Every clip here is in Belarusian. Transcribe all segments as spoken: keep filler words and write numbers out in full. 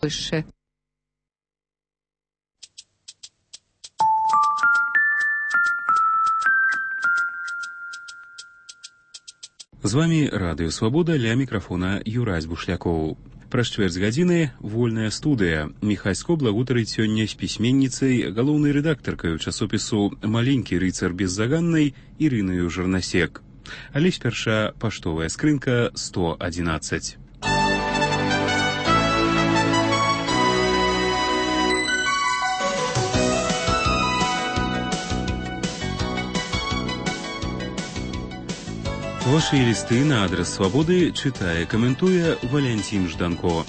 Польшчы. З вами Радыё Свабода, ля мікрафона Юрась Бушлякоў. Праз чвэрць гадзіны вольная студыя. Міхасько благутарыць сёння з пісьменніцай, галоўнай рэдактаркаю часопісу «Маленькі рыцар беззаганнай» Ірынаю Жарнасек. Але спярша паштовая скрынка сто адзінаццаць. Ваши листы на адрес Свободы читая, комментуя Валентин Жданко.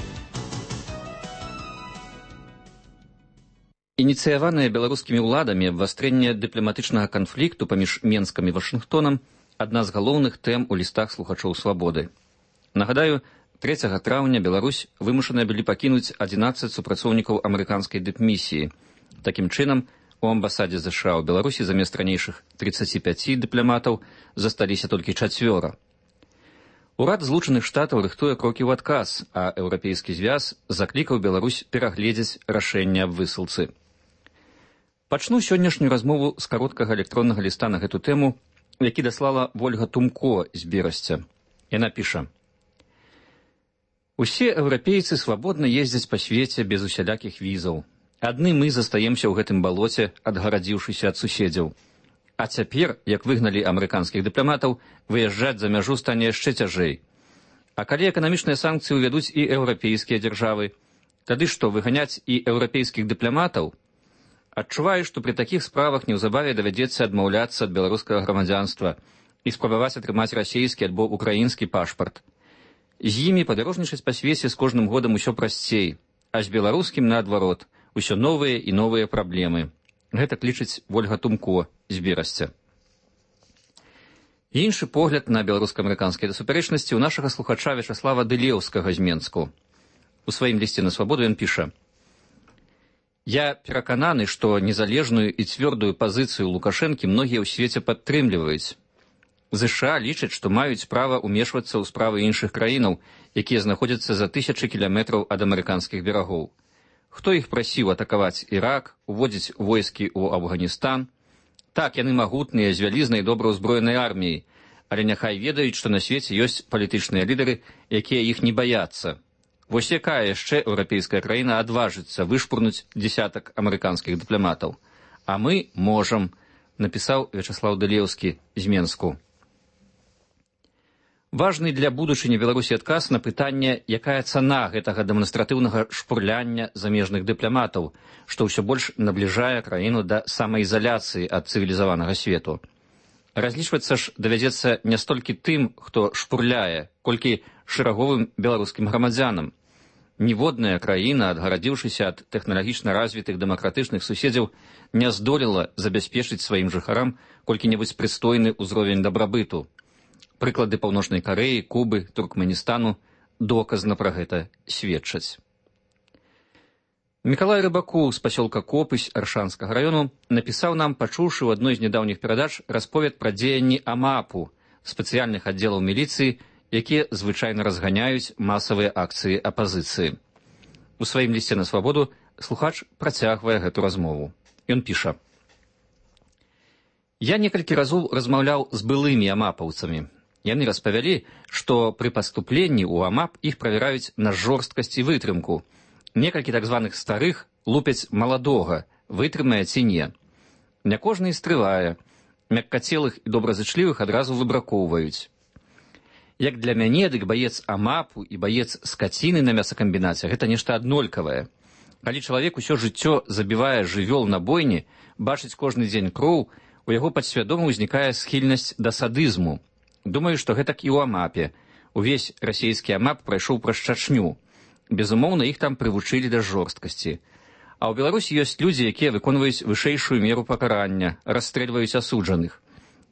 Ініцыяванае беларускімі ўладамі абвастрэнне дыпламатычнага канфлікту паміж Менскам і Вашынгтонам адна з галоўных тэм у лістах слухачоў Свабоды. Нагадаю, трэцяга траўня Беларусь вымушаныя былі пакінуць адзінаццаць супрацоўнікаў амерыканскай дыпмісіі. Такім чынам, у амбасадзе ЗША ў Беларусі замест ранейшых трыццаці пяці дыпламатаў засталіся толькі чацвёра. Урад Злучаных Штатаў рыхтуе крокі ў адказ, а Еўрапейскі звяз заклікаў Беларусь перагледзець рашэнне аб высылцы. Пачну сённяшнюю размову з кароткага электроннага ліста на гэту тэму, які даслала Вольга Тумко з Берасця. Яна піша: «Усе еўрапейцы свабодна ездзяць па свеце без усялякіх візаў. Адны мы застаемся ў гэтым балоце, адгарадзіўшыся ад суседзяў. А цяпер, як выгналі амерыканскіх дыпламатаў, выязджаць за мяжу стане яшчэ цяжэй. А калі эканамічныя санкцыі ўвядуць і еўрапейскія дзяржавы, тады што, выганяць і еўрапейскіх дыпламатаў? Адчуваю, што пры такіх справах неўзабаве давядзецца адмаўляцца ад беларускага грамадзянства і спрабаваць атрымаць расейскі альбо украінскі пашпарт. З імі падарожнічаць па свеце з кожным годам усё прасцей, а з беларускім наадварот, усё новыя і новыя праблемы. Гэта лічыць Вольга Тумко з Берасця. Іншы погляд на беларуска-амерыканскія супярэчнасці ў нашага слухача Вячаслава Дылеўскага з Менску. У сваім лісце на Свабоду ён піша: «Я перакананы, што незалежную і цвёрдую пазіцыю Лукашэнкі многія ў свеце падтрымліваюць. ЗША лічаць, што маюць права ўмешвацца ў справы іншых краінаў, якія знаходзяцца за тысячы кіламетраў ад амерыканскіх берагоў. Хто іх прасіў атакаваць Ірак, уводзіць войскі ў Афганістан? Так, яны магутныя, з вялізнай добра ўзброенай арміяй, але няхай ведаюць, што на свеце ёсць палітычныя лідары, якія іх не баяцца. Вось якая яшчэ еўрапейская краіна адважыцца вышпурнуць дзесятак амерыканскіх дыпламатаў? А мы можам», напісаў Вячаслаў Дылеўскі з Менску. Важны для будучыні Беларусі адказ на пытанне, якая цана гэтага дэманстратыўнага шпурляння замежных дыпламатаў, што ўсё больш набліжае краіну да самаізаляцыі ад цывілізаванага свету. Разлічвацца ж давядзецца не столькі тым, хто шпурляе, колькі шэраговым беларускім грамадзянам. Ніводная краіна, адгарадзіўшыся ад тэхналагічна развітых дэмакратычных суседзяў, не здолела забяспечыць сваім жыхарам колькі-небудзь прыстойны ўзровень дабрабыту. Прыклады Паўночнай Карэі, Кубы, Туркменістану доказна пра гэта сведчаць. Мікалай Рыбакоў з пасёлка Копысь Аршанскага раёну напісаў нам, пачуўшы ў адной з нядаўніх перадач расповед пра дзеянні АМАПу, спецыяльных аддзелаў міліцыі, якія звычайна разганяюць масавыя акцыі апазіцыі. У сваім лісце на Свабоду слухач працягвае гэту размову. Ён піша: «Я некалькі разоў размаўляў з былымі амапаўцамі. Яны распавялі, што пры паступленні ў АМАП іх правяраюць на жорсткасць і вытрымку. Некалькі так званых старых лупяць маладога, вытрымае ці не. Не кожны і стрывае. Мяккацелых і добразычлівых адразу выбракоўваюць. Як для мяне, дык баец АМАПу і баец скаціны на мясакамбінаце гэта нешта аднолькавае. Калі чалавек усё жыццё забівае жывёл на бойні, бачыць кожны дзень кроў, у яго падсвядома ўзнікае схільнасць да садызму. Думаю, што гэтак і ў АМАПе. Увесь расійскі АМАП прайшоў праз чачню. Безумоўна, іх там прывучылі да жорсткасці. А ў Беларусі ёсць людзі, якія выконваюць вышэйшую меру пакарання, расстрэльваюць асуджаных.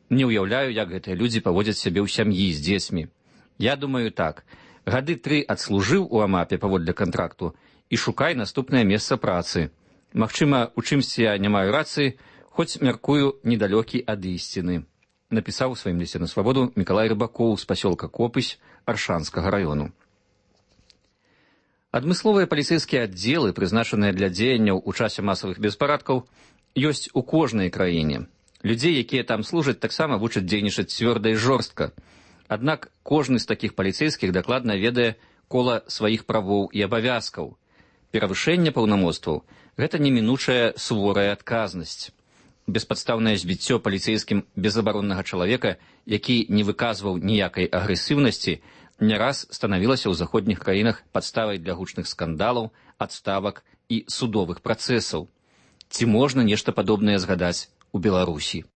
Не ўяўляю, як гэтыя людзі паводзяць сябе ў сям'і з дзецьмі. Я думаю так. Гады тры адслужыў у АМАПе паводле кантракту і шукай наступнае месца працы. Магчыма, у чымсьці я не маю рацыі, хоць мяркую недалёкі ад ісціны», напісаў у сваім лісце на Свабоду Мікалай Рыбакоў з пасёлка Копысь Аршанскага раёну. Адмысловыя паліцэйскія аддзелы, прызначаныя для дзеянняў у часе масавых беспарадкаў, ёсць у кожнай краіне. Людзей, якія там служаць, таксама вучаць дзейнічаць цвёрда і жорстка. Аднак кожны з такіх паліцэйскіх дакладна ведае кола сваіх правоў і абавязкаў. Перавышэнне паўнамоцтваў – гэта немінучая суворая адказнасць. Беспадстаўнае збіццё паліцэйскім безабароннага чалавека, які не выказваў ніякай агрэсіўнасці, не раз станавілася ў заходніх краінах падставай для гучных скандалаў, адставак і судовых працэсаў. Ці можна нешта падобнае згадаць у Беларусі?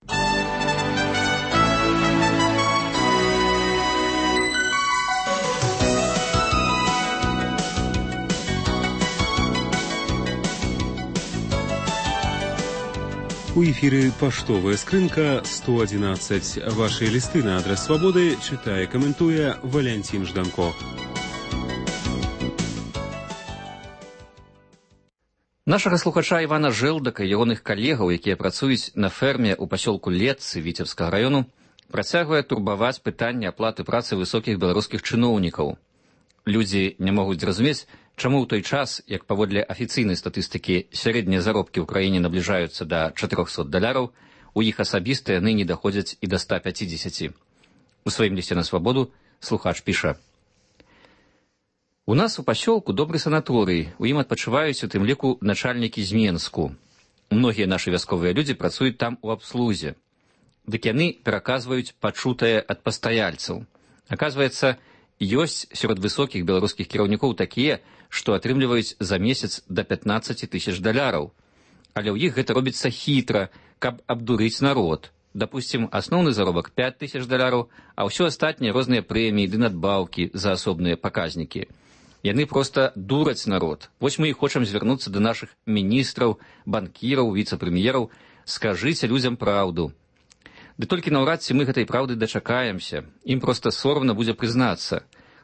У эфіры паштовая скрынка сто одиннадцать. Ваши листы на адрес Свободы читае, каментуе Валянцін Жданко. Нашага слухача Івана Жэлдака і ягоных калегаў, якія працуюць на ферме ў пасёлку Летцы Віцебскага раёну, працягвае турбаваць пытанне аплаты працы высокіх беларускіх чыноўнікаў. Людзі не могуць зразумець, чаму ў той час, як паводле афіцыйнай статыстыкі сярэднія заробкі ў краіне набліжаюцца да чатырохсот даляраў, у іх асабіста яны не даходзяць і да ста пяцідзесяці. У сваім лісце на Свабоду слухач піша: «У нас у пасёлку добры санаторый, у ім адпачываюць у тым ліку начальнікі з Менску. Многія нашы вясковыя людзі працуюць там у абслузе. Дык яны пераказваюць пачутае ад пастаяльцаў. Аказваецца, ёсць сярод высокіх беларускіх кіраўнікоў такія, што атрымліваюць за месяц да пятнаццаці тысяч даляраў. Але ў іх гэта робіцца хітра, каб абдурыць народ. Дапусцім, асноўны заробак пяць тысяч даляраў, а ўсё астатнія розныя прэміі ды надбаўкі за асобныя паказнікі. Яны проста дураць народ. Вось мы і хочам звярнуцца да нашых міністраў, банкіраў, віцэ-прэм'ераў. Скажыце людзям праўду. Ды толькі наўрад ці мы гэтай праўды дачакаемся. Ім проста сорамна будзе прызнацца.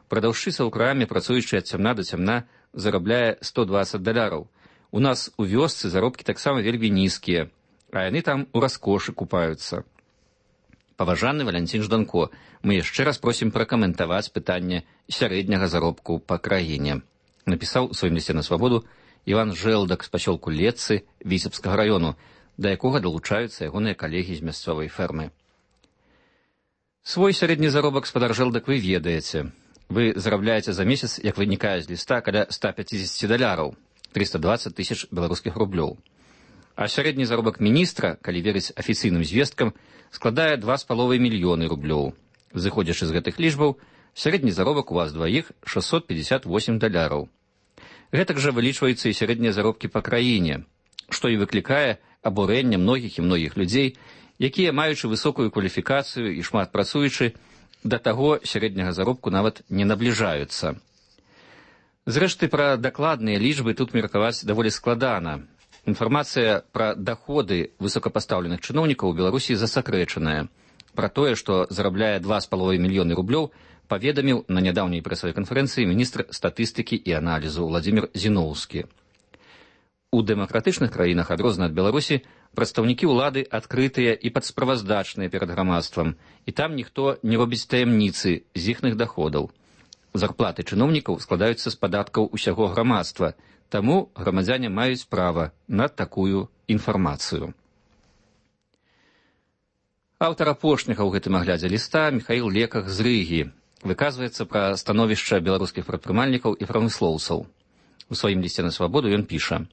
Прадаўшчыца ў краме, працуючы ад цямна да цямна, зарабляе сто дваццаць даляраў. У нас у вёсцы заробкі таксама вельмі нізкія, а яны там у раскошы купаюцца. Паважаны Валянцін Жданко, мы яшчэ раз просім пракаментаваць пытанне сярэдняга заробку па краіне. Напісаў у сваім лісце на Свабоду Іван Жэлдак з пасёлку Летцы Віцебскага раёну, да якога далучаюцца ягоныя калегі з мясцовай фермы. Свой сярэдні заробак, спадар Жэлдак, вы ведаеце. Вы зарабляеце за месяц, як вынікае з ліста, каля ста пяцідзесяці даляраў, трыста дваццаць тысяч беларускіх рублёў. А сярэдні заробак міністра, калі верыць афіцыйным звесткам, складае два з паловай мільёны рублёў. Зыходзячы з гэтых лічбаў, сярэдні заробак у вас дваіх шэсцьсот пятьдесят восемь даляраў. Гэтак жа вылічваюцца і сярэднія заробкі па краіне, што і выклікае абурэнне многіх і многіх людзей, якія, маючы высокую кваліфікацыю і шмат працуючы, да таго сярэдняга заробку нават не набліжаюцца. Зрэшты, пра дакладныя лічбы тут меркаваць даволі складана. Інфармацыя пра даходы высокапастаўленых чыноўнікаў у Беларусі засакрэчаная. Пра тое, што зарабляе два з паловай мільёны рублёў, паведаміў на нядаўняй прэсавай канферэнцыі міністр статыстыкі і аналізу Владзімір Зіноўскі. У дэмакратычных краінах, адрозна ад Беларусі, прадстаўнікі ўлады адкрытыя і падсправаздачныя перад грамадствам, і там ніхто не робіць таямніцы з іхных даходаў. Зарплаты чыноўнікаў складаюцца з падаткаў усяго грамадства, таму грамадзяне маюць права на такую інфармацыю. Аўтар апошняга ў гэтым аглядзе ліста Міхаіл Леках з Рыгі выказваецца пра становішча беларускіх прадпрымальнікаў і прамыслоўцаў. У сваім лісце на Свабоду ён піша: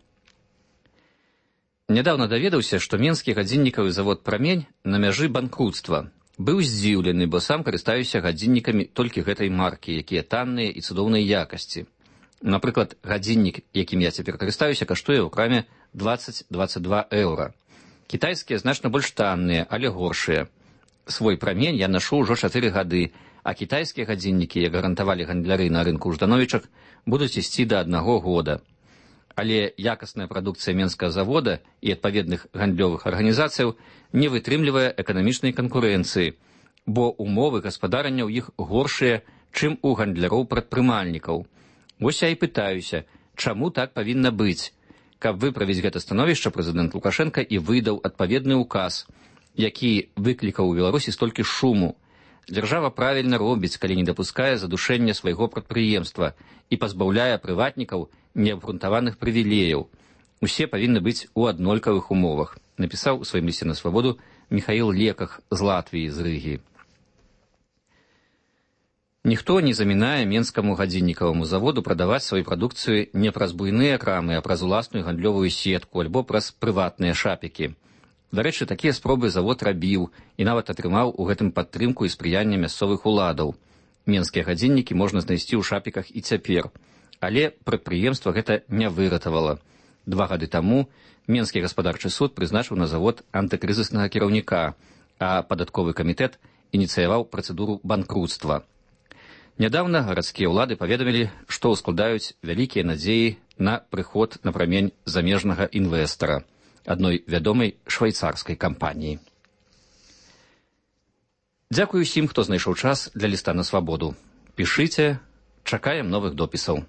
«Нядаўна даведаўся, што менскі гадзіннікавы завод «Прамень» на мяжы банкруцтва. Быў здзіўлены, бо сам карыстаюся гадзіннікамі толькі гэтай маркі, якія танныя і цудоўнай якасці. Напрыклад, гадзіннік, якім я цяпер карыстаюся, каштуе ў краме дваццаць - дваццаць два еўра. Кітайскія значна больш танныя, але горшыя. Свой «Прамень» я нашу ўжо чатыры гады, а кітайскія гадзіннікі, як гарантавалі гандляры на рынку ў Ждановічах, будуць ісці да аднаго года. Але якасная прадукцыя менскага завода і адпаведных гандлёвых арганізацыяў не вытрымлівае эканамічнай канкурэнцыі, бо умовы гаспадарання ў іх горшыя, чым у гандляроў-прадпрымальнікаў. Вось я і пытаюся, чаму так павінна быць? Каб выправіць гэта становішча, прэзідэнт Лукашенка і выдаў адпаведны ўказ, які выклікаў у Беларусі столькі шуму. Дзяржава правільна робіць, калі не дапускае задушэння свайго прадпрыемства і пазбаўляе прыватнікаў неабгрунтаваных прывілеяў. Усе павінны быць у аднолькавых умовах, напісаў у сваім лісце на свабоду Міхаіл Леках з Латвіі, з Рыгі. Ніхто не замінае менскаму гадзіннікаваму заводу прадаваць сваю прадукцыю не праз буйныя крамы, а праз уласную гандлёвую сетку альбо праз прыватныя шапікі. Дарэчы, такія спробы завод рабіў і нават атрымаў у гэтым падтрымку і спрыянне мясцовых уладаў. Менскія гадзіннікі можна знайсці ў шапіках і цяпер. Але прадпрыемства гэта не выратавала. Два гады таму Менскі гаспадарчы суд прызначыў на завод антыкрызіснага кіраўніка, а падатковы камітэт ініцыяваў працэдуру банкруцтва. Нядаўна гарадскія ўлады паведамілі, што ўскладаюць вялікія надзеі на прыход на прамень замежнага інвестара, адной вядомай швейцарскай кампаніі. Дзякую усім, хто знайшоў час для ліста на свабоду. Пішыце, чакаем новых допісаў.